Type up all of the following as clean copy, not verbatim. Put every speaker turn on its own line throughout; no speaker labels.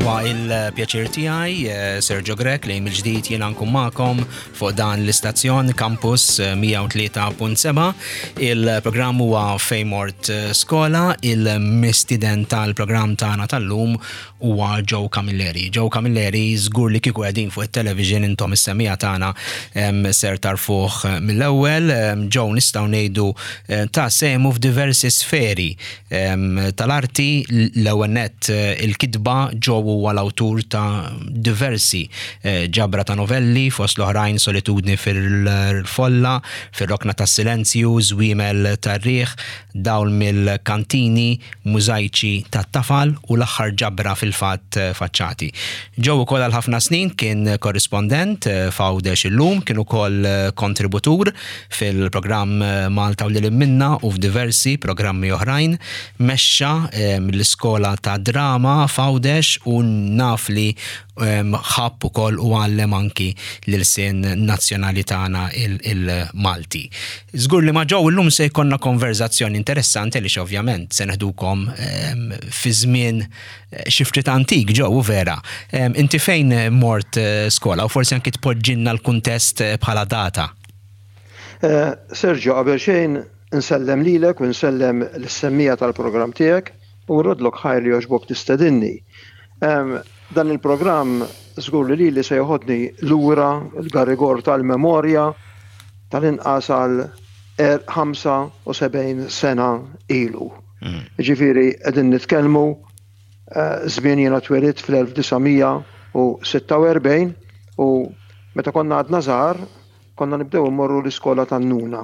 Huwa il-pjaċir tiegħi, eh, Sergio Grech, li mill-ġdid jiena nkun magħkom fuq dan l-istazzjon Campus 103.7. Il-programm huwa Fejn Mort Skola, il-mistiden tal-programm tagħna tal-lum huwa Joe Camilleri. Joe Camilleri żgur li kieku qegħdin fuq it-television intom is-semija tagħna ser tarfuh mill-ewwel. Joe nistgħu ngħidu eh, ta' sehmu f'diversi sferi tal-arti, l-ewwel nett eh, il-kitba Joe huwa l-awtur ta' diversi eh, ġabra ta' novelli fost l-oħrajn Solitudni fil-folla, fir-rokna tas-silenzju, Żwiemel tar-riħ, Dawl mill-kantini, Mużajċi tat-tafal u l-aħħar ġabra fil-fatt Faċċati. Joe ukoll għal ħafna snin kien korrispondent f'Għawdex Illum, kien ukoll kontributur fil-programm Malta u Lil Hinn Minna u f'diversi programmi oħrajn. Mexxa l-iskola tad-drama f'Għawdex u naf li ħabb ukoll u għallem anki l-ilsien nazzjonali tagħna il-Malti. Żgur li ma' Joe illum se jkollna konverżazzjoni interessanti għaliex ovvjament se neħdukom fi żmien eh, xi ftit antik Joe u vera. Inti fejn mort eh, skola u forsi anki tpoġġilna l-kuntest eh, bħala data.
Sergio, qabel xejn insellem lilek u nsellem lis-semmija tal-programm tiegħek u rrodlok ħajr li jogħġbok tistedinni. Dan il-programm żgur li lili se joħodni lura l-garigor tal-memorja tal-inqas għal 75 sena ilu. Mm. Ġifieri qegħdin nitkellmu eh, żmien jiena twelidt fl-1946 u meta konna għadna żgħar konna nibdew immorru l-iskola tan-nuna.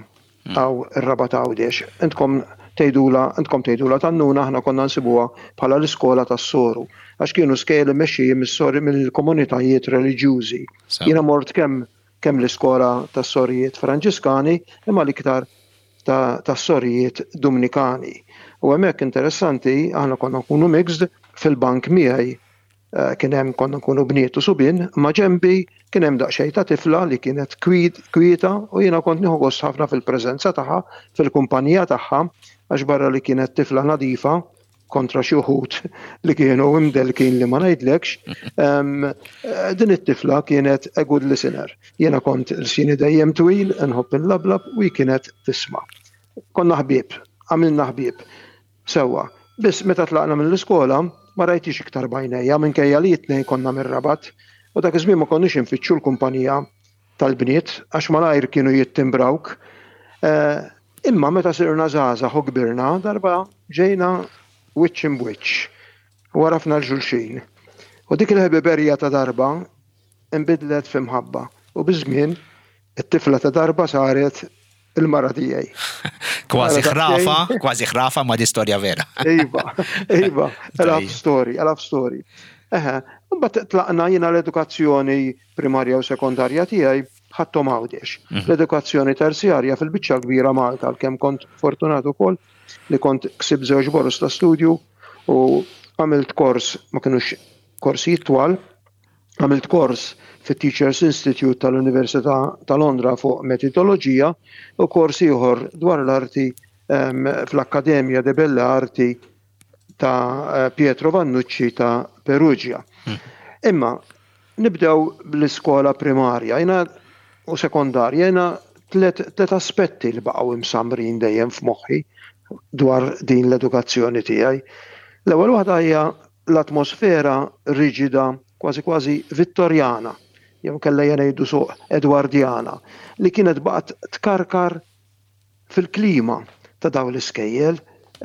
Hawn ir-Rabat Għawdex. Intkom tgħidulha, intkom tgħidulha tan-nuna, aħna konna nsibuha bħala l-iskola tas-soru, għax kienu skejjel immexxijin mis-sori mill-komunitajiet reliġjużi. Jiena mort kemm kemm l-iskola tas-sorijiet Franġiskani imma l-iktar tas-sorijiet Dumnikani. U hemmhekk interessanti aħna konna nkunu mixed fil-bank miegħi Eh, kien hemm konna nkunu bniet u subien, ma ġembi kien hemm daqsxejn ta' tifla li kienet kwieta u jiena kont nieħu gost ħafna fil-preżenza tagħha, fil-kumpanija tagħha, għax barra li kienet tifla nadifa kontra xi wħud li kienu imdelkin li ma ngħidlekx, eh, din it-tifla kienet a good listener. Jiena kont l-sini dejjem twil, nħobb il-lablab u kienet tisma'. Konna ħbieb, għamilna ħbieb. Sewwa. Biss meta tlaqna mill-iskola, ma rajthiex iktar b'għajnejja minkejja li t-tnejn konna mir-Rabat u dak iż-żmien ma konniex infittxu l-kumpanija tal-bniet għax malajr kienu jittimbrawk. Imma meta sirna żgħażagħ u kbirna, darba ġejna wiċċ imb'wiċċ u għarafna 'l xulxin. U dik il-ħbiberija ta' darba nbidlet fi mħabba u biż-żmien it-tifla ta' darba saret il-mara tiegħi.
Kważi ħrafa, kważi ħrafa ma di storja vera.
Iva, iva, a love story, a love story. Eħe, mbagħad tlaqna jiena l-edukazzjoni primarja u sekondarja tiegħi ħadthom Għawdex. Mhm. L-edukazzjoni terzjarja fil-biċċa kbira Malta, għalkemm kont fortunat ukoll li kont ksib żewġ boros ta' studju u għamilt kors ma kinux korsijiet twal, Għamilt kors fit-Teachers Institute tal-Università ta' Londra fuq metodoloġija u kors ieħor dwar l-arti fl-Accademia de Belle Arti ta' Pietro Vannucci ta' Perugia. Hmm. Imma nibdew bl-iskola primarja jina u sekondarja jina tlet aspetti li baqgħu imsamrin dejjem f'moħħi dwar din l-edukazzjoni tiegħi. L-ewwel waħda hija l-atmosfera riġida, kważi kważi Vittorjana, jew inkella ejja ngħidu suq Edwardjana, li kienet baqgħet tkarkar fil-klima ta' dawn l-iskejjel,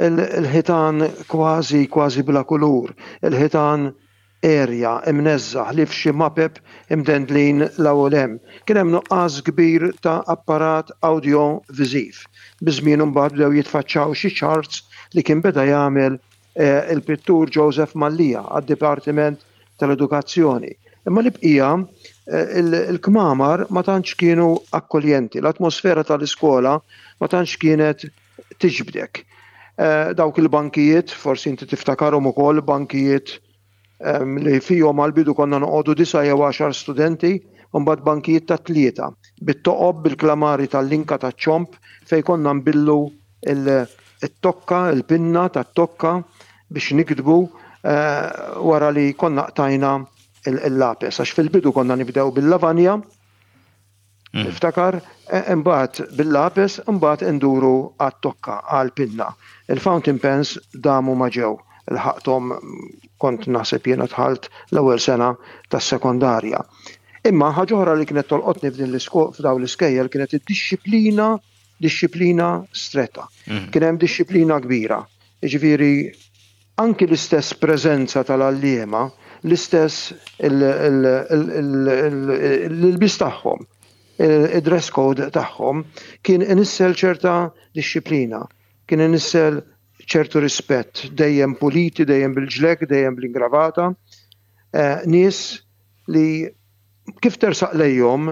il-ħitan kważi kważi bla kulur, il-ħitan għerja, imneżża', ħlief xi mapep imdendlin 'l hawn u 'l hemm. Kien hemm nuqqas kbir ta' apparat awdjo-viżiv. Biż-żmien imbagħad bdew jitfaċċaw xi charts li kien beda jagħmel il-pittur Joseph Mallia għad-Dipartiment tal-Edukazzjoni. Imma l-bqija il-kmamar ma tantx kienu akkoljenti, l-atmosfera tal-iskola ma tantx kienet tiġbdek. Dawk il-bankijiet, forsi inti tiftakarhom ukoll, bankijiet li fihom għall-bidu konna noqogħdu disa' jew għaxar studenti, u mbagħad bankijiet ta' tlieta, bit-toqob, bil-klamari tal-linka taċ-ċomb fejn konna nbillu it-tokka, il-pinna tat-tokka biex niktbu. wara li konna qtajna il-lapes, għax fil-bidu konna nibdew bil-lavanja, niftakar, imbagħad bil-lapes, imbagħad induru għat-tokka, għall-pinna. Il-fountain pens damu ma ġew, lħaqthom kont naħseb jiena dħalt l-ewwel sena tas-sekondarja. Imma ħaġa oħra li kienet tolqotni f'din f'dawn l-iskejjel kienet id-dixxiplina, dixxiplina stretta. Kien hemm dixxiplina kbira. Jiġifieri anki l-istess preżenza tal-għalliema, l-istess l-ilbies tagħhom, id-dress code tagħhom kien inissel ċerta dixxiplina, kien inissel ċertu rispett, dejjem puliti, dejjem bil-ġlekk, dejjem bl-ingravata. Nies li kif tersaq lejhom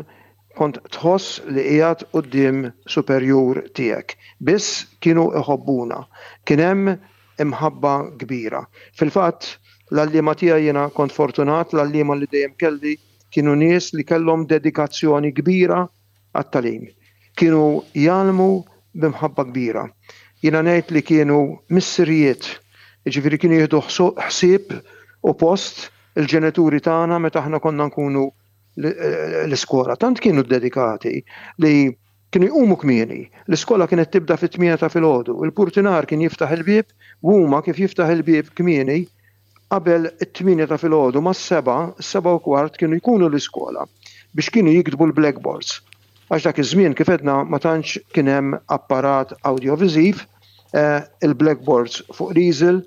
kont tħoss li qiegħed quddiem superjur tiegħek. Biss kienu iħobbuna. Kien hemm imħabba kbira. Fil-fatt, l-għalliema tiegħi jiena kont fortunat, l-għalliema li dejjem kelli kienu nies li kellhom dedikazzjoni kbira għat-tagħlim. Kienu jgħallmu b'imħabba kbira. Jiena ngħid li kienu missirijiet, jiġifieri kienu jieħdu ħsieb u post il-ġenituri tagħna meta aħna konna nkunu l-iskola. Tant kienu ddedikati li kienu jqumu kmieni. L-iskola kienet tibda fit-8 ta' filgħodu. Il-purtinar kien jiftaħ il-bieb u huma kif jiftaħ il-bieb kmieni qabel it-8 ta' filgħodu mas-sebgħa, is-sebgħa u kwart kienu jkunu l-iskola biex kienu jiktbu l-blackboards. Għax dak iż-żmien kif għedna ma tantx kien hemm apparat awdjoviżiv, il-blackboards fuq l-easel,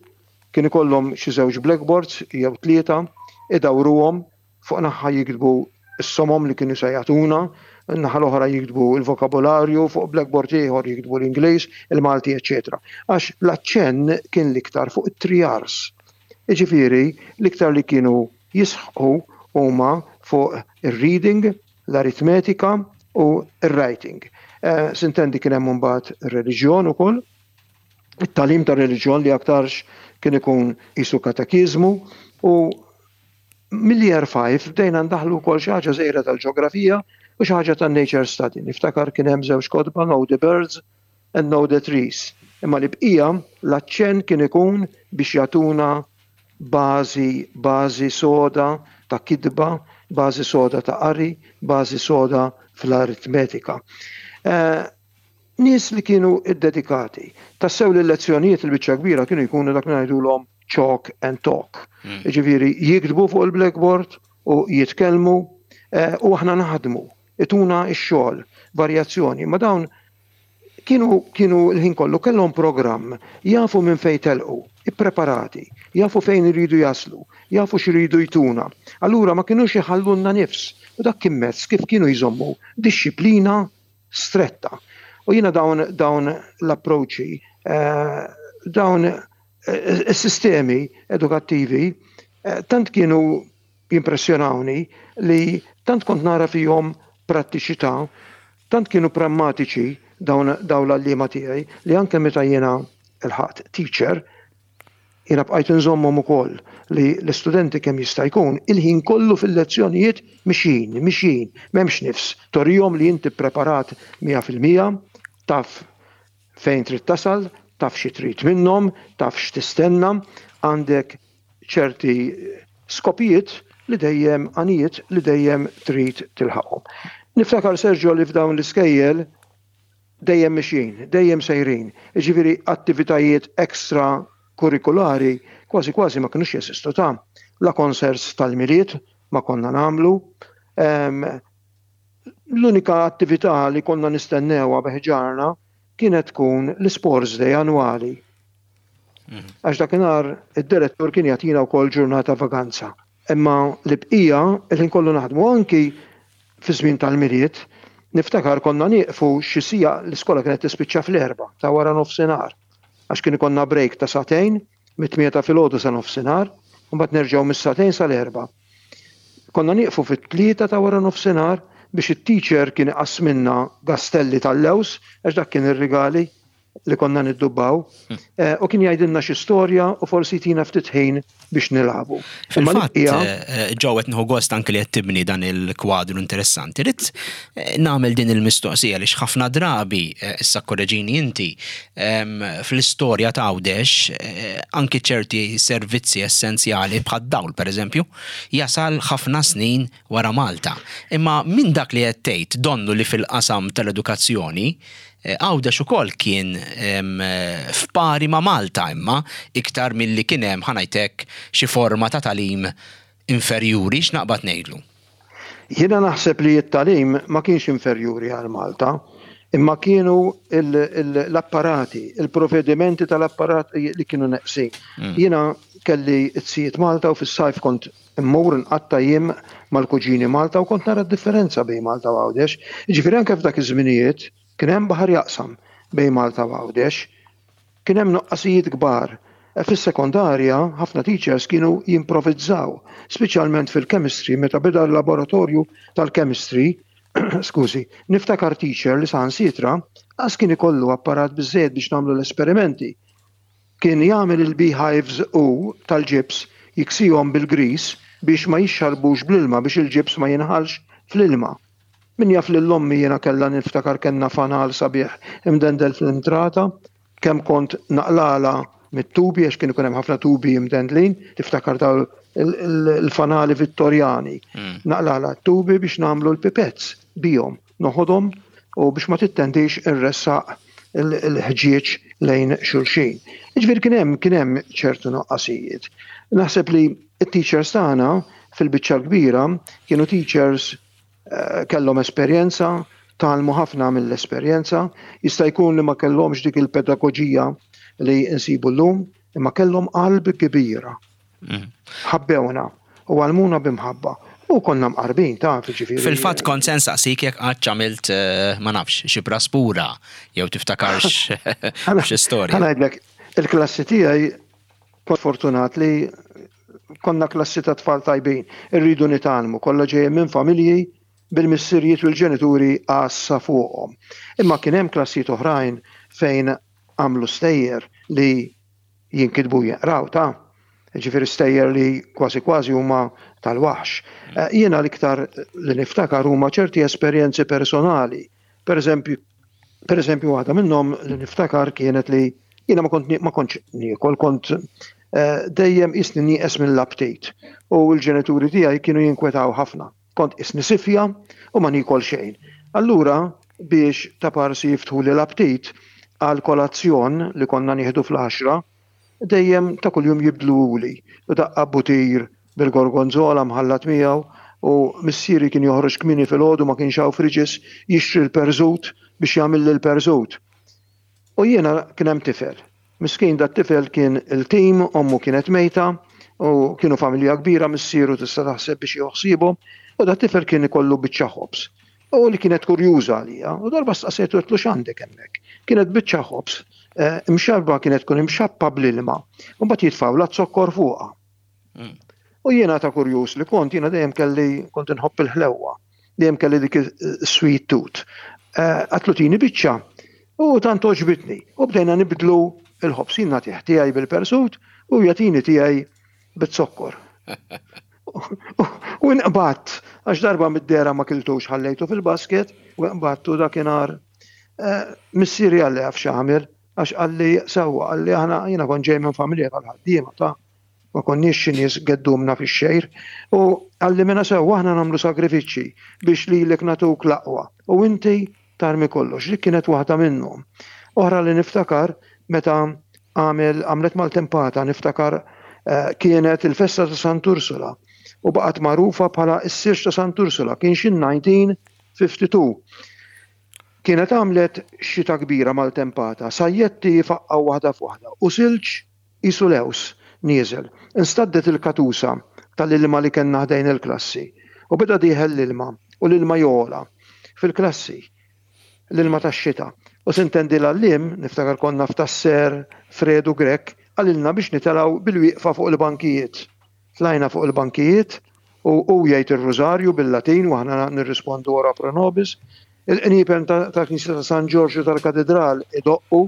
kien ikollhom xi żewġ blackboards jew tlieta, idawruhom, fuq naħa jiktbu s-somom li kienu se jagħtuna, in-naħa l-oħra jiktbu l-vokabularju, fuq blackboard ieħor jiktbu l-Ingliż, il-Malti, eċċetera. Għax l-aċċenn kien l-iktar fuq it-three R's. Jiġifieri l-iktar li kienu jisħqu huma fuq ir-reading, l-aritmetika u r-writing. Sintendi kien hemm imbagħad ir-reliġjon ukoll, it-tagħlim tar-reliġjon li aktarx kien ikun qisu katekiżmu u Mill-Year 5 bdejna ndaħħlu wkoll xi ħaġa żgħira tal-ġeografija u xi ħaġa tan-nature study. Niftakar kien hemm żewġ kotba Know the Birds and Know the Trees. Imma l-bqija l-aċċenn kien ikun biex jagħtuna bażi, bażi soda ta' kitba, bażi soda ta' qari, bażi soda fl-aritmetika. Nies li kienu ddedikati. Tassew li l-lezzjonijiet il-biċċa kbira kienu jkunu dak li ngħidulhom chalk and talk. Jiġifieri jiktbu fuq il-blackboard u jitkellmu u aħna naħdmu, ituna x-xogħol, varjazzjoni. Ma dawn kienu kienu l-ħin kollu kellhom programm, jafu minn fejn telqu, ippreparati, jafu fejn iridu jaslu, jafu x'iridu jtuna. Allura ma kinux iħallulna nifs u dak kien mezz kif kienu jżommu dixxiplina stretta. U jiena dawn dawn l-approċċi, dawn is-sistemi edukattivi tant kienu jimpressjonawni li tant kont nara fihom prattiċità, tant kienu prammatiċi dawn dawn l-għalliema tiegħi li anke meta jiena lħaqt teacher, Jiena bqajt inżommhom ukoll li l-istudenti kemm jista' jkun il-ħin kollu fil-lezzjonijiet mixjin, mixjin, m'hemmx nifs, turihom li inti ppreparat 100%, taf fejn trid tasal, taf xi trid minnhom, taf x'tistenna, għandek ċerti skopijiet li dejjem, għanijiet li dejjem trid tilħaqhom. Niftakar Sergio li f'dawn l-iskejjel Dejjem mixjin, dejjem sejrin, jiġifieri attivitajiet extra kurrikulari kważi kważi ma kinux jeżistu ta'. La concerts tal-Milied ma konna nagħmlu. L-unika attività li konna nistennewha bi ħġarna kienet tkun l-isports day annwali. Għax dakinhar id-direttur kien jagħtina wkoll ġurnata vaganza. Imma l-bqija il-ħin kollu naħdmu anki Fiż-żmien tal-Milied, niftakar konna nieqfu xi siegħa, l-iskola kienet tispiċċa fl-erbgħa ta' wara nofsinhar, għax kien ikollna break ta' sagħtejn, mit-tmienja ta' filgħodu sa nofsinhar, u mbagħad nerġgħu mis-sagħtejn sal-erbgħa. Konna nieqfu fit-tlieta ta' wara nofsinhar biex it-teacher kien iqassmilna gastelli tal-lewż, għax dak kien ir-rigali. li konna niddubbaw, eh, u kien jgħidilna xi storja u forsi jtina ftit ħin biex nilagħbu.
Fil-fatt, eh, ġew qed nieħu gost anke li qed tibni dan il-kwadru interessanti. Rid eh, nagħmel din il-mistoqsija li ħafna drabi issa korreġini inti fl-istorja ta' Għawdex anki ċerti servizzi essenzjali bħad-dawl pereżempju jasal ħafna snin wara Malta. Imma minn dak li qed tgħid donnu li fil-qasam tal-edukazzjoni Għawdex ukoll kien f'pari ma' Malta imma iktar milli kien hemm ħa ngħid hekk xi forma ta' tagħlim inferjuri, x'naqbad ngħidlu?
Jiena naħseb li t-tagħlim ma kienx inferjuri għal Malta, imma kienu l-apparati, il-provvedimenti tal-apparati li kienu neqsin. Jiena kelli t-sijiet Malta u fis-sajf kont Immur nqatta' jiem mal-kuġini Malta u kont nara d-differenza bejn Malta u Għawdex. Jiġifieri anke f'dak iż-żminijiet kien hemm baħar jaqsam bejn Malta u Għawdex. Kien hemm nuqqasijiet kbar. Fis-sekondarja ħafna teachers kienu jimprovizzaw, speċjalment fil-chemistry meta beda l-laboratorju tal-chemistry, skużi, niftakar teacher li saħansitra qas kien ikollu apparat biżżejjed biex nagħmlu l-esperimenti. Kien jagħmel il-beehives hu tal-ġibs, jiksihom bil-griż biex ma jixxarbux bl-ilma biex il-ġibs ma jinħallx fl-ilma. Min jaf lil ommi jiena kellha niftakar kellna fanal sabiħ imdendel fl-intrata, kemm kont naqlagħlha mit-tubi għax kien ikun hemm ħafna tubi imdendlin, tiftakar dawn il-fanali Vittorjani. Naqlagħlha t-tubi biex nagħmlu l-pipettes bihom. noħodhom u biex ma tittendix irressaq il-ħġieġ lejn xulxin. Jiġifieri kien hemm kien hemm ċertu nuqqasijiet. Naħseb li t-teachers tagħna fil-biċċa l-kbira kienu teachers eh, kellhom esperjenza, tgħallmu ħafna mill-esperjenza, jista' jkun li ma kellhomx dik il-pedagoġija li nsibu llum, imma kellhom qalb kbira. Mm. Ħabbewna u għallmuna b'imħabba. U konna mqarbin ta' ġifieri.
Fil-fatt kont se nsaqsik jekk qatt għamilt eh, ma nafx xi praspura jew tiftakarx xi storja.
Ħa ngħidlek, il-klassi tiegħi kont fortunat li konna klassi ta' tfal tajbin, irridu nitgħallmu, kollha ġejjin minn familji bil-missirijiet u l-ġenituri għassa fuqhom. Imma kien hemm klassijiet oħrajn fejn għamlu stejjer li jinkitbu u jinqraw ta'. Jiġifieri stejjer li kważi kważi huma tal-waħx. Eh, jiena l-iktar li niftakar huma ċerti esperjenzi personali. Per eżempju, per eżempju waħda minnhom li niftakar kienet li jiena ma kont ma kontx niekol, kont eh, dejjem isni nieqes mill-aptit u l-ġenituri tiegħi kienu jinkwetaw ħafna. Kont qisni sifja u ma niekol xejn. Allura biex taparsi jiftħuli l-aptit għal kolazzjon li konna nieħdu fl-għaxra, dejjem ta' kuljum jibdluhuli u daqqa butir bil-gorgonzola mħallat miegħu u missieri kien joħroġ kmieni filgħodu ma kienx hawn fridges jixtri l-perżut biex jagħmilli l-perżut. U jiena kien hemm tifel. Miskin dat-tifel kien iltim, ommu kienet mejta u kienu familja kbira missieru tista' taħseb biex jieħu ħsiebhom u dat-tifel kien ikollu biċċa ħobż. U li kienet kurjuża għalija u darba staqsejtu għedtlu x'għandek hemmhekk. Kienet biċċa ħobż eh, imxarba kienet tkun imxappa bl-ilma u mbagħad jitfgħulha zokkor fuqha. Mm. U jiena ta' kurjuż li kont, jiena dejjem kelli kont inħobb il-ħlewwa, dejjem kelli dik sweet tooth. Eh, għatlu tini biċċa u tant oġbitni. U bdejna nibdlu il-ħobs jien nagħtih tiegħi bil-persut u jagħtini tiegħi bit-zokkor. U nqbatt, għax darba mid-dera ma kiltux ħallejtu fil-basket, u nqbattu dakinhar. Eh, missieri għalli għaf x'għamel, għax qalli sewwa, qalli aħna jiena kont ġej minn familja tal-ħaddiema ta' ma konniex xi nies geddumna fix-xejr, u qalli mela sewwa aħna nagħmlu sagrifiċċji biex lilek nagħtuk l-aqwa u inti tarmi kollox. Dik kienet waħda minnhom. Oħra li niftakar meta għamel għamlet maltempata niftakar eh, kienet il-festa ta' Sant'Ursula u baqgħet magħrufa bħala s-sirx ta' Sant'Ursula kien xi 1952. Kienet għamlet xita kbira maltempata, sajjetti jfaqqgħu waħda f'waħda u silġ qisu lewż nieżel. Instaddet il-katusa tal-ilma li kellna ħdejn il-klassi u beda dieħel l-ilma u l-ilma jogħla fil-klassi, l-ilma tax-xita. U sintendi l-għalliem, niftakar konna f'Tasser, Fredu Grech, qalilna biex nitelgħu bil-wieqfa fuq il-bankijiet. Tlajna fuq il-bankijiet u hu jgħid ir-Rużarju bil-Latin u aħna nirrispondu ora pro nobis. Il-qniepen tal-Knisja ta' San Ġorġ u tal-Katidral idoqqu.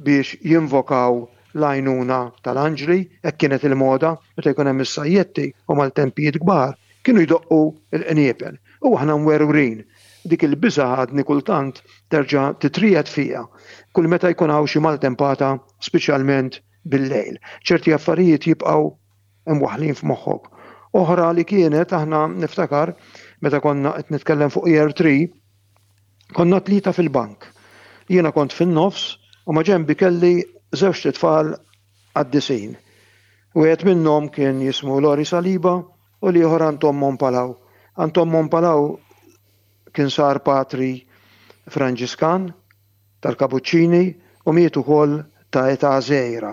biex jinvokaw l-għajnuna tal-anġli, hekk kienet il-moda meta jkun hemm is-sajjetti u maltempijiet kbar, kienu jdoqqu l-qniepen. U aħna mwerwrin. Dik il-biża' għadni kultant terġa' titriegħed fija kull meta jkun hawn xi maltempata speċjalment bil-lejl. Ċerti affarijiet jibqgħu imwaħħlin f'moħħok. Oħra li kienet aħna niftakar meta konna qed nitkellem fuq year 3, konna tlieta fil-bank. Jiena kont fin-nofs u ma' ġenbi kelli żewġt itfal qaddisin. Wieħed minnhom kien jismu Lori Saliba u l-ieħor Anton Mompalaw. Anton Mompalaw kien sar patri Franġiskan tal-Kapuċċini u miet ukoll ta' età żgħira.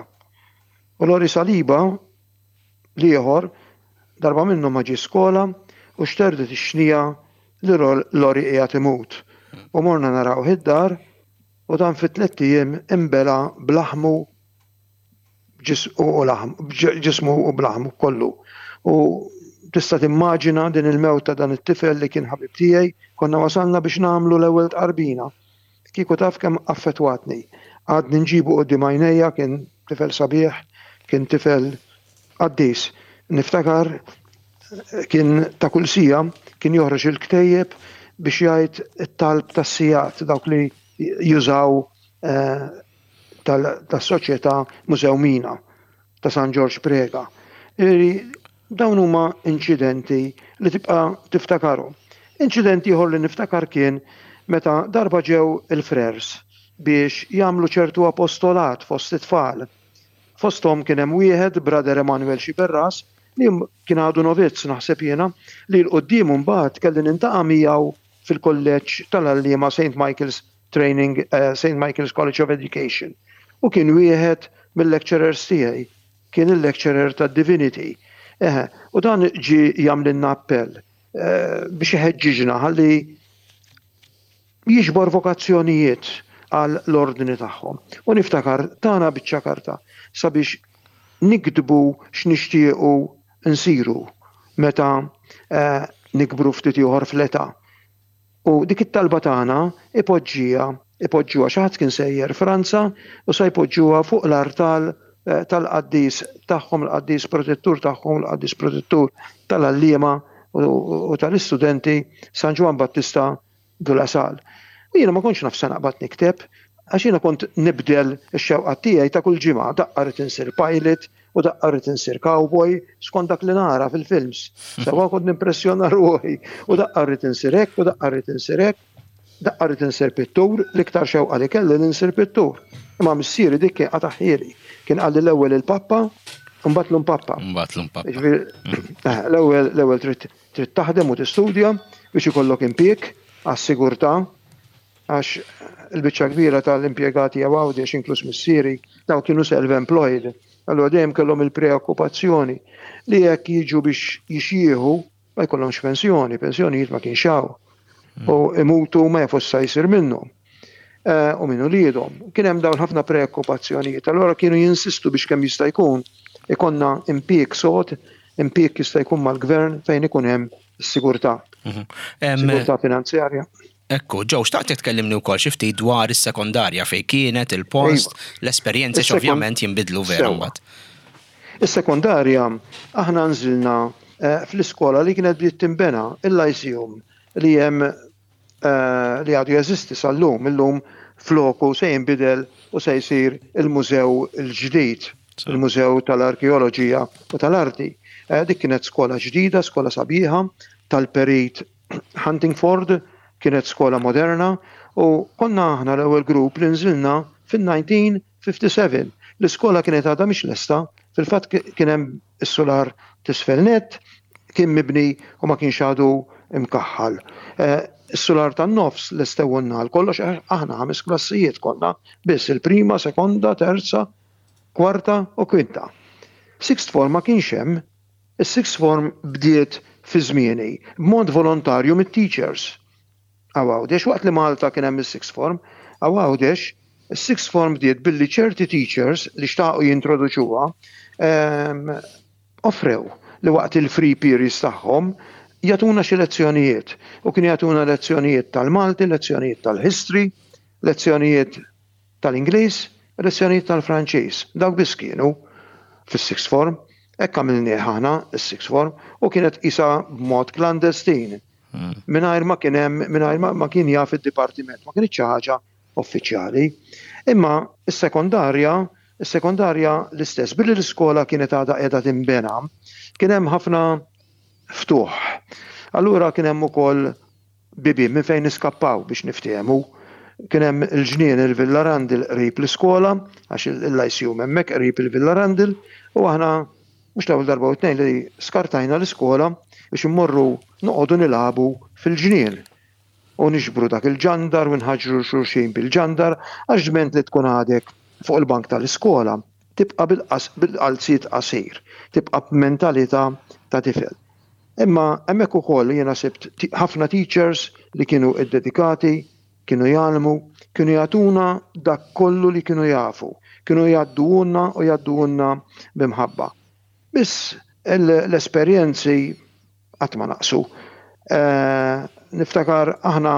U Lori Saliba, l-ieħor, darba minnhom ma ġiex skola u xterdet ix-xniegħa li Lori qiegħed imut. U morna narawh id-dar u dan fi tlett ijiem inbela' b'laħmu ġismu u b'laħmu kollu. U tista' timmaġina din il-mewt ta' dan it-tifel li kien ħabib tiegħi, konna wasalna biex nagħmlu l-ewwel tqarbina. Kieku taf kemm affettwatni. Għadni nġibu quddiem għajnejja, kien tifel sabiħ, kien tifel qaddis. Niftakar kien ta' kull siegħa kien joħroġ il-ktejjeb biex jgħid it-talb tas-sigħat dawk li jużaw eh, tas-soċjetà Mużewmina ta' San Ġorġ Preca. Dawn huma inċidenti li tibqa' tiftakarhom. Inċident ieħor li niftakar kien meta darba ġew il-frers biex jagħmlu ċertu apostolat fost it-tfal. Fosthom kien hemm wieħed, Brother Emanuel Sciberras, li kien għadu novizz naħseb jiena, li 'l quddiem imbagħad kelli nintaqa' miegħu fil-kulleġġ tal-għalliema Saint Michael's Training Saint Michael's College of Education u kien wieħed mill-lecturers tiegħi, kien il-lecturer tad-Divinity. Eħe, u dan ġie jagħmlilna appell biex iħeġġiġna ħalli jiġbor vokazzjonijiet għal l-ordni tagħhom. U niftakar tana biċċa karta sabiex niktbu x'nixtiequ nsiru meta nikbru ftit ieħor fl-età. U dik it-talba tagħna ipoġġiha, ipoġġuha, xi ħadd kien sejjer Franza u sa jpoġġuha fuq l-artal tal-qaddis tagħhom, il-qaddis protettur tagħhom, il-qaddis protettur tal-għalliema u tal-istudenti San Ġwann Battista de la Salle. U jiena ma kontx naf se naqbad nikteb, għax jiena kont nibdel ix-xewqat tiegħi ta' kull ġimgħa, daqqa rrid insir pilot, u daqqa rrid insir cowboy skont dak li nara fil-films. Sewa kont nimpressjona ruħi u daqqa rrid insir hekk u daqqa rrid insir hekk, daqqa rrid insir pittur, l-iktar xewqa li kelli li nsir pittur. Imma missieri dik kien qataħħieli. Kien qalli l-ewwel il-pappa, mbagħad l-umpappa.
Mbagħad l-umpappa.
Eh, l-ewwel l-ewwel trid trid taħdem u tistudja biex ikollok impjieg għas-sigurtà Għax il-biċċa kbira tal-impjegati jew Għawdex, inkluż missieri, dawn kienu self-employed. Allura dejjem kellhom il-preokkupazzjoni li jekk jiġu biex jixjieħu ma jkollhomx pensjoni, pensjonijiet ma kienx hawn. Hmm. U imutu ma jafux sa jsir minnhom. Eh, u minn uliedhom. Kien hemm dawn ħafna preokkupazzjonijiet. Allura kienu jinsistu biex kemm jista' jkun ikonna impjieg sod, impjieg jista' jkun mal-gvern fejn ikun hemm is-sigurtà. Mhm. Sigurtà finanzjarja.
Ekku, Joe, xtaqtek tkellimni wkoll xi ftit dwar is-sekondarja fejn kienet, il-post, iva. l-esperjenzi ovvjament jinbidlu vera mbagħad.
Is-sekondarja aħna nżilna eh, fl-iskola li kienet bdiet tinbena il-Lyceum li hemm eh, li għadu jeżisti sal-lum, illum floku se jinbidel u se jsir il-mużew il-ġdid, il-mużew tal-arkeoloġija u tal-arti. Eh, dik kienet skola ġdida, skola sabiħa tal-perit Huntingford kienet skola moderna u konna aħna l-ewwel grupp li nżilna fin-1957. L-iskola kienet għadha mhix lesta, fil-fatt kien hemm is-sular t'isfel nett, kien mibni u ma kienx għadu mkaħħal. Eh, is-sular tan-nofs lestewulna għal kollox aħna ħames klassijiet konna biss il-prima, sekonda, terza, kwarta u kwinta. Sixth form ma kienx hemm, Is-sixth form bdiet fi żmieni, b'mod volontarju mit-teachers. Hawn Għawdex, waqt li Malta kien hemm is-sixth form, hawn Għawdex, is-sixth form bdiet billi ċerti teachers li xtaqu jintroduċuha offrew li waqt il-free periods tagħhom jagħtuna xi lezzjonijiet. U kienu jagħtuna lezzjonijiet tal-Malti, lezzjonijiet tal-history, lezzjonijiet tal-Ingliż. Lezzjonijiet tal-Franċiż, dawk biss kienu fis-sixth form. Hekk għamilnieh aħna s-sixth form u kienet qisha b'mod klandestin. Mingħajr ma kien hemm, mingħajr ma kien jaf id-dipartiment, ma kinitx xi ħaġa uffiċjali. Imma s-sekondarja, is-sekondarja l-istess, billi l-iskola kienet għadha qiegħda tinbena, kien hemm ħafna ftuħ. Allura kien hemm ukoll bibien minn fejn niskappaw biex niftehmu. Kien hemm il-ġnien il-Villa Randall qrib l-iskola, għax il-Lyceum hemmhekk qrib il-Villa Randall, u aħna mhux l-ewwel darba u tnejn li skartajna l-iskola biex immorru noqogħdu nilagħbu fil-ġnien u niġbru dak il-ġandar u nħaġġru 'l xulxin bil-ġandar għax dment li tkun għadek fuq il-bank tal-iskola tibqa' bil-qalziet qasir, tibqa' b'mentalità ta' tifel. Imma hemmhekk ukoll jiena sibt ħafna teachers li kienu ddedikati, kienu jgħallmu, kienu jagħtuna dak kollu li kienu jafu, kienu jgħadduhulna u jgħadduhulna bi mħabba. Biss l-esperjenzi qatt ma naqsu. Niftakar aħna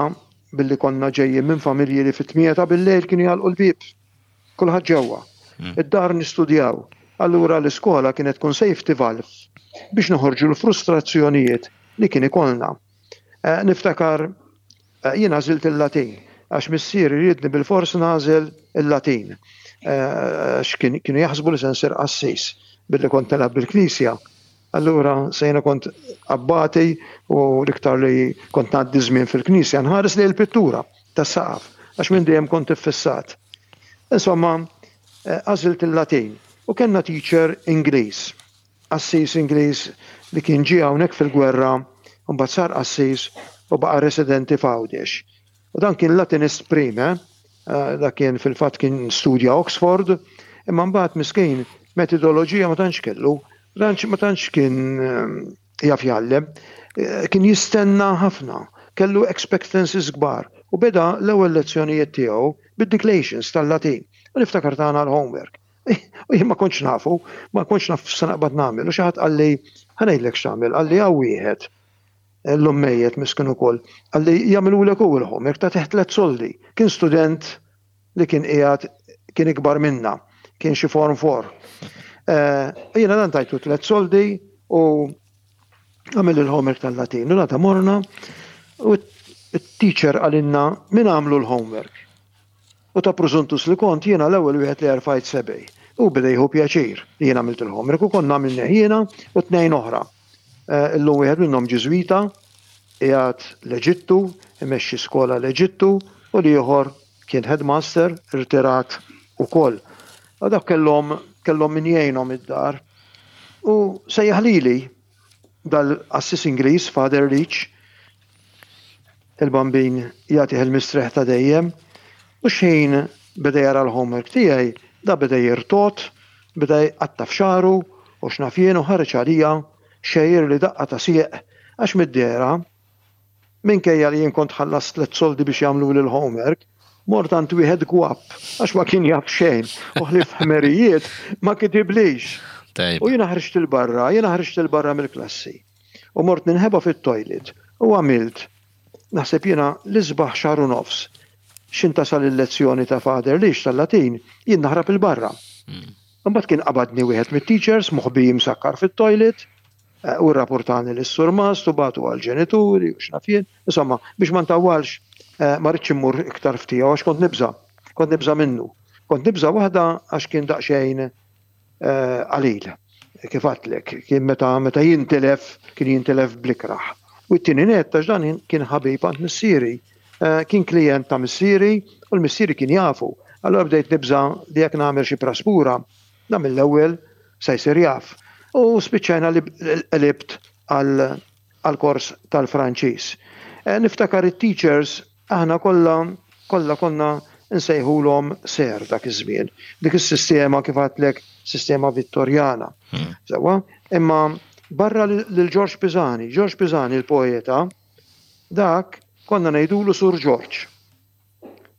billi konna ġejjin minn familji li fit-tmienja ta' bil-lejl kienu jagħlqu l-bieb. Kulħadd ġewwa. Id-dar nistudjaw. Allura l-iskola kienet tkun safety valve biex noħorġu l-frustrazzjonijiet li kien ikollna. Niftakar jien għażilt il-Latin għax missieri riedni bilfors nagħżel il-Latin. Għax kienu jaħsbu li se nsir qassis billi kont nilgħab bil-knisja. Allura se jiena kont abbati u l-iktar li kont ngħaddi żmien fil-knisja nħares lejn il-pittura tas-saqaf għax minn dejjem kont iffissat. Insomma, għażilt il-Latin u kellna teacher Ingliż, qassis Ingliż li kien ġie hawnhekk fil-gwerra u mbagħad sar qassis u baqa' residenti f'Għawdex. U dan kien Latinist prim, eh? Dak kien fil-fatt kien studja Oxford, imma mbagħad miskin metodoloġija ma tantx kellu, ma tantx kien jaf jgħallem, kien jistenna ħafna, kellu expectancies kbar u beda l-ewwel lezzjonijiet tiegħu bid-declations tal-Latin. U niftakar tagħna l-homework. U jien ma kontx nafu, ma kontx naf x'se naqbad nagħmel. U xi ħadd qalli, ħa ngħidlek x'tagħmel, qalli hawn wieħed llum mejjet miskin ukoll, qalli jagħmilulek hu l-homework tagħtih tlett soldi. Kien student li kien qiegħed kien ikbar minna, kien xi form 4. Eh, jiena dan tajtu tlett soldi u għamil il-homework tal-Latin. U l morna u t-teacher għalinna min għamlu l-homework. U ta' prużuntus li kont jiena l-ewwel wieħed li erfajt sebej. U beda jieħu pjaċir li jiena għamilt il-homework u konna għamilna jiena u tnejn oħra. Eh, illum wieħed minnhom Ġiżwita, qiegħed l-Eġittu, imexxi skola l-Eġittu, u l-ieħor kien headmaster irtirat ukoll. U dak kellhom kellhom min jgħinhom id-dar. U sejjaħ lili dal-qassis Ingliż, Father Leach, il-bambin jagħtih il-mistrieħ ta' dejjem, u x'ħin beda jara l-homework tiegħi, da beda jirtogħod, beda jqatta' f'xagħru u x'naf jien u ħareġ għalija xejjirli daqqa ta' sieq għax mid-dehra, minkejja li jien kont ħallast tlett soldi biex jagħmluli l-homework, mort għand wieħed gwapp għax ma kien jaf xejn u ħlief ħmerijiet ma kitiblix. U jiena ħriġt 'il barra, jiena ħriġt 'il barra mill-klassi. U mort ninħeba fit-toilet u għamilt, naħseb jiena, l-isbaħ xahar u nofs. X'in tasal il-lezzjoni ta' Father Leach tal-Latin, jien naħrab 'il barra. Imbagħad kien qabadni wieħed mit-teachers moħbi msakkar fit-toilet u rrapurtani lis-surmast u bagħtu għall-ġenituri u x'naf jien. Insomma, biex ma ntawwalx, ma ridtx immur iktar f'tiegħu għax kont nibża'. Kont nibża' minnu. Kont nibża' waħda għax kien daqsxejn qalil, kif għadtlek, kien meta meta jintilef, kien jintilef bl-ikrah. U t-tieni nett għax dan kien ħabib għand missieri, kien klijent ta' missieri u l-missieri kien jafu. Allura bdejt nibża' li jekk nagħmel xi praspura, dan mill-ewwel se jsir jaf. U spiċċajna li qlibt għall-kors tal-Franċiż. Niftakar it-teachers Aħna kollha, kollha konna nsejħulhom ser dak iż-żmien. Dik is-sistema kif għedtlek sistema Vittorjana. Sewwa? Imma barra lil Ġorġ Pisani, Ġorġ Pisani l-poeta, dak konna ngħidulu Sur Ġorġ.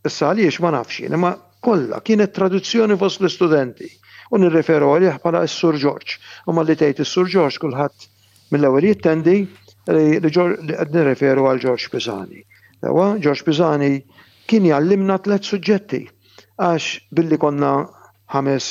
Issa għaliex ma nafx jien, imma kollha kienet tradizzjoni fost l-istudenti u nirreferu għalih bħala s-Sur Ġorġ. U malli tgħid is-Sur Ġorġ kulħadd Mill-ewwel jittendi li qed nirreferu għal Ġorġ Pisani. Sewwa, Ġorġ Pisani kien jgħallimna tlett suġġetti. Għax billi konna ħames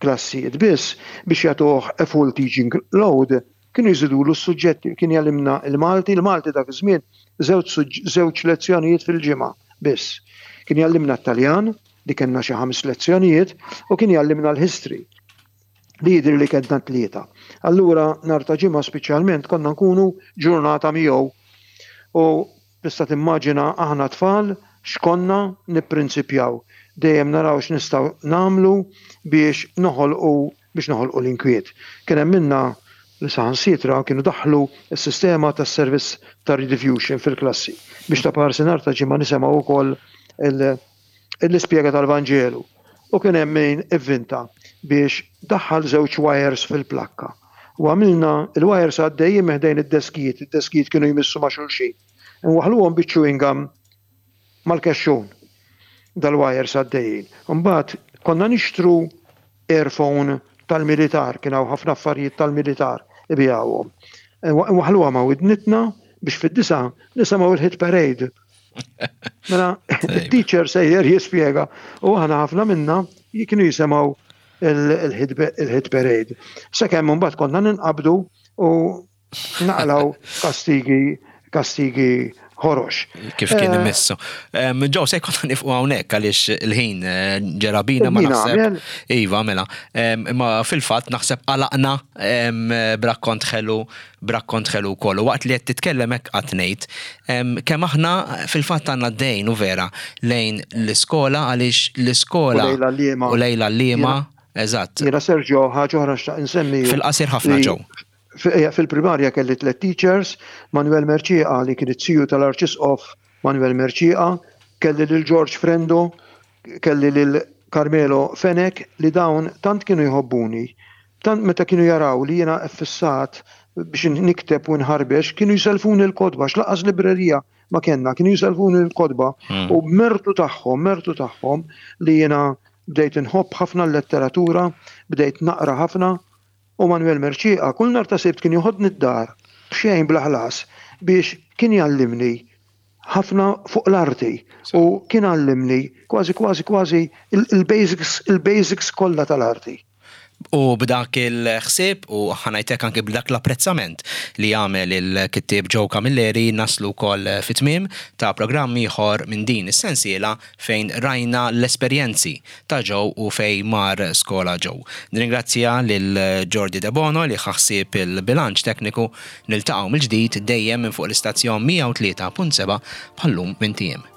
klassijiet biss, biex jagħtuh a full teaching load, kienu jżidulu s-suġġetti, kien jgħallimna l-Malti, il-Malti dak iż-żmien żewġ lezzjonijiet fil-ġimgħa biss. Kien jgħallimna t-Taljan, li kellna xi ħames lezzjonijiet, u kien jgħallimna l-history, li jidhirli kellna tlieta. Allura nhar ta' Ġimgħa speċjalment konna nkunu ġurnata miegħu. U Tista' timmaġina aħna tfal x'konna nipprinċipjaw, dejjem naraw x'nistgħu nagħmlu biex noħolqu biex noħolqu l-inkwiet. Kien hemm minna li saħansitra kienu daħħlu s-sistema tas-servizz ta' rediffusion fil-klassi biex taparsi nhar ta' Ġimgħa nisemgħu wkoll l-ispjega tal-Vanġelu. U kien hemm min ivvinta biex daħħal żewġ wires fil-plakka. U għamilna il-wires għaddejjin minn ħdejn id-deskijiet, id-deskijiet kienu jmissu ma' xulxin. Inwaħħluhom biċ-chewing gum mal-kexxun dal-wires għaddejjin. Imbagħad konna nixtru earphone tal-militar, kien hawn ħafna affarijiet tal-militar ibigħuhom. Inwaħħluha ma' widnitna biex fid-disa nisimgħu il-hit parade. Mela, il-teacher sejjer jispjega u aħna ħafna minna kienu jisimgħu il-hit parade. Sakemm mbagħad konna ninqabdu u naqlaw kastigi kastigi ħorox.
Kif kien eh, imissu. Ġew se jkun nifqu hawnhekk għaliex il-ħin eh, ġera bina ma naħseb. Iva, mela. Imma fil-fatt naħseb għalaqna b'rakkont ħelu b'rakkont ħelu wkoll. U waqt li qed titkellem hekk qatt ngħid kemm aħna fil-fatt għandna dejn u vera lejn l-iskola għaliex l-iskola u lejla l-liema. Eżatt.
Jiena Sergio ħaġa oħra xtaq insemmi.
Fil-qasir ħafna ġew.
Fil-primarja kelli tliet teachers, Manuel Mercieca li kien it-tiju tal-Arċisqof Manuel Mercieca, kelli lil George Frendo, kelli lil Carmelo Fenech li dawn tant kienu jħobbuni, tant meta kienu jaraw li jiena ffissat biex nikteb u nħarbex, kienu jsellfuni l-kotba għax lanqas librerija ma kellna, kienu jsellfuni l-kotba u b'mertu tagħhom, mertu tagħhom li jiena bdejt inħobb ħafna l-letteratura, bdejt naqra ħafna U Manuel Mercieca kull nhar ta' Sibt kien joħodni d-dar b'xejn bla ħlas biex kien jgħallimni ħafna fuq l-arti u kien għallimni kważi kważi kważi il-basics il-basics kollha tal-arti.
U b'dak il-ħsieb u ħa ngħid hekk anke b'dak l-apprezzament li għamel il-kittieb Joe Camilleri naslu wkoll fit-tmiem ta' programm ieħor minn din is-sensiela fejn rajna l-esperjenzi ta' Joe u fejn mar skola Joe. Nirringrazzja lil Jordi Debono li ħa ħsieb il-bilanċ tekniku. Niltaqgħu mill-ġdid dejjem minn fuq l-istazzjon 103.7 bħal-lum minn tiem.